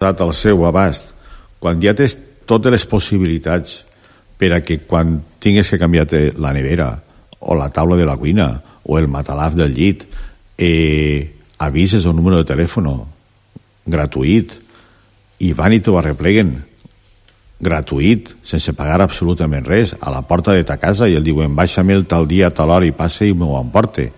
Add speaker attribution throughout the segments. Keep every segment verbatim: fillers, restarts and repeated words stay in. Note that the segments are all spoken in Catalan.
Speaker 1: al seu abast, quan ja tens totes les possibilitats per a que quan tingues que canviar la nevera o la taula de la cuina o el matalàs del llit, eh, avises un número de telèfon gratuït i van i t'ho arrepleguen gratuït, sense pagar absolutament res, a la porta de ta casa, i el diuen baixa-me el tal dia, tal hora, i passe i m'ho emporte.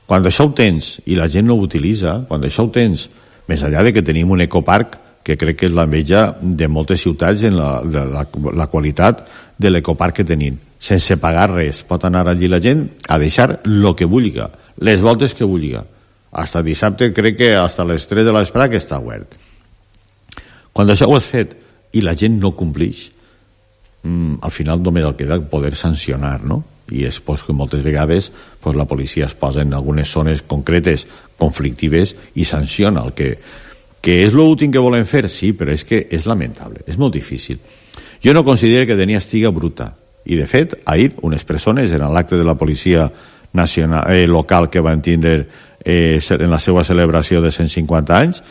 Speaker 1: Quan això ho tens i la gent no ho utilitza, quan això ho tens, més enllà de que tenim un ecoparc que crec que és l'enveja de moltes ciutats en la, de la, la qualitat de l'ecoparc que tenim, sense pagar res, pot anar allí la gent a deixar el que vulgui, les voltes que vulgui. Hasta dissabte crec que hasta les tres de l'espera que està obert. Quan això ho has fet i la gent no complix, mmm, al final només el queda poder sancionar, no? I és pues, que moltes vegades pues, la policia es posa en algunes zones concretes conflictives i sanciona el que, que és l'últim que volen fer, sí, però és que és lamentable, és molt difícil. Jo no considero que Denia estiga bruta, i de fet, ahir unes persones en l'acte de la policia nacional, eh, local que van tindre eh, en la seva celebració de cent cinquanta anys,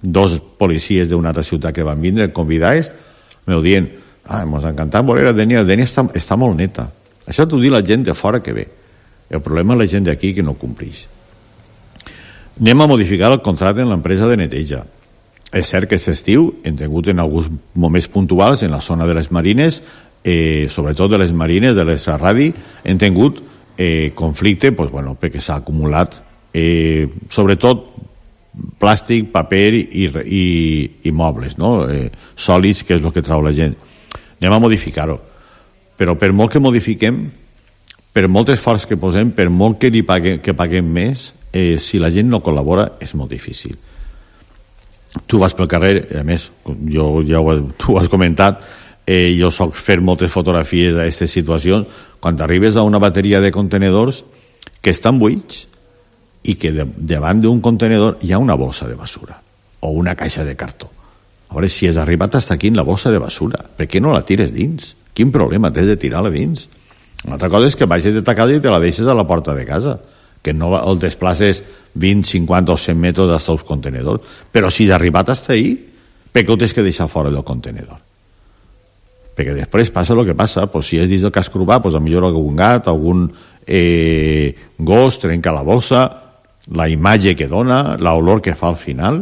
Speaker 1: dos policies d'una altra ciutat que van vindre convidats, m'ho dient, ah, mos ha encantat veure a Denia, Denia està, està molt neta. Això t'ho diu la gent de fora que ve. El problema és la gent d'aquí que no complix. Anem a modificar el contracte en l'empresa de neteja. És cert que aquest estiu hem tingut en alguns moments puntuals en la zona de les marines, eh, sobretot de les marines, de l'extraradi, hem tingut eh, conflicte pues, bueno, perquè s'ha acumulat eh, sobretot plàstic, paper i, i, i mobles, no? eh, sòlids, que és el que trau la gent. Anem a modificar-ho. Però per molt que modifiquem, per molt esforç que posem, per molt que, li paguem, que paguem més, eh, si la gent no col·labora és molt difícil. Tu vas pel carrer, a més, jo ja ho, tu ho has comentat, eh, jo soc fer moltes fotografies d'aquestes situacions, quan arribes a una bateria de contenedors que estan buits i que de, davant d'un contenedor hi ha una bossa de basura o una caixa de cartó. A veure, si has arribat fins aquí en la bossa de basura, per què no la tires dins? Quin problema tens de tirar-la dins? Una altra cosa és que vagis de ta casa i te la deixes a la porta de casa, que no el desplaces vint, cinquanta o cent metres dels teus contenedors. Però si has arribat fins ahí, per què ho tens que deixar fora del contenedor? Perquè després passa el que passa, pues si és dins del casc urbà, pues millor algun gat, algun eh, gos trenca la bossa, la imatge que dona, l'olor que fa al final,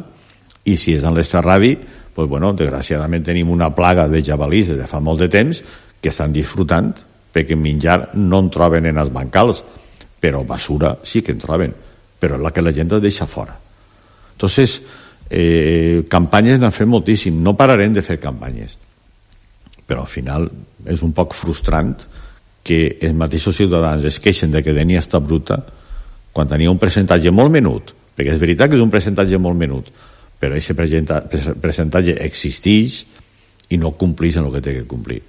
Speaker 1: i si és en l'extraradi, pues bueno, desgraciadament tenim una plaga de jabalís des de fa molt de temps que estan disfrutant perquè menjar no en troben en els bancals, però basura sí que en troben, però és la que la gent es deixa fora. Entonces, eh, campanyes n'han fet moltíssim, no pararem de fer campanyes, però al final és un poc frustrant que els mateixos ciutadans es queixen de que Denia està bruta quan tenia un percentatge molt menut, perquè és veritat que és un percentatge molt menut, però aquest percentatge existeix i no compleix en el que té que complir.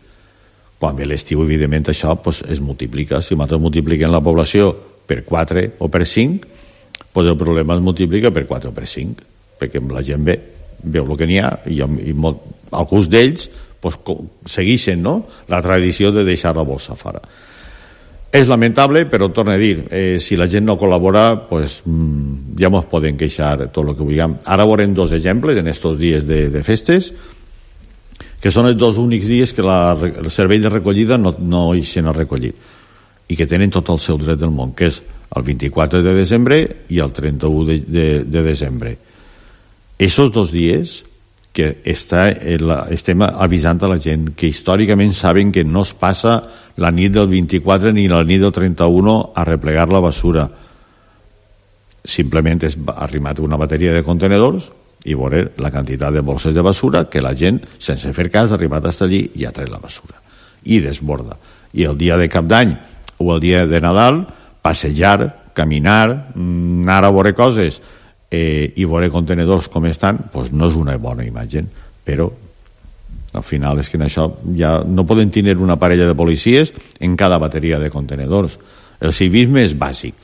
Speaker 1: Quan ve l'estiu, evidentment, això pues, es multiplica. Si nosaltres multipliquem la població per quatre o per cinc, pues el problema es multiplica per quatre o per cinc, perquè la gent ve, veu el que n'hi ha, i, i molt, alguns d'ells pues, segueixen no? la tradició de deixar la bolsa fora. És lamentable, però torno a dir, eh, si la gent no col·labora, pues, mmm, ja ens podem queixar tot el que vulguem. Ara veurem dos exemples en aquests dies de, de festes, que són els dos únics dies que la, el servei de recollida no, no hi se n'ha recollit i que tenen tot el seu dret del món, que és el vint-i-quatre de desembre i el trenta-u de, de, de desembre. Aquests dos dies que està, estem avisant a la gent que històricament saben que no es passa la nit del vint-i-quatre ni la nit del trenta-u a replegar la basura. Simplement és arrimat una bateria de contenedors i veure la quantitat de bolses de basura que la gent, sense fer cas, ha arribat fins allí i ha tret la basura. I desborda. I el dia de Cap d'Any o el dia de Nadal, passejar, caminar, anar a veure coses eh, i veure contenedors com estan, doncs no és una bona imatge, però al final és que en això ja no poden tenir una parella de policies en cada bateria de contenedors. El civisme és bàsic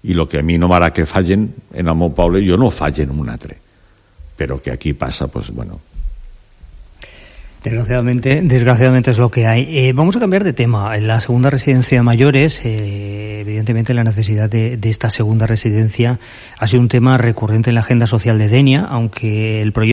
Speaker 1: i el que a mi no m'agrada que facin en el meu poble, jo no ho faig en un altre, pero que aquí pasa, pues bueno.
Speaker 2: Desgraciadamente, desgraciadamente es lo que hay. Eh, vamos a cambiar de tema. En la segunda residencia de mayores, eh, evidentemente la necesidad de, de esta segunda residencia ha sido un tema recurrente en la agenda social de Denia, aunque el proyecto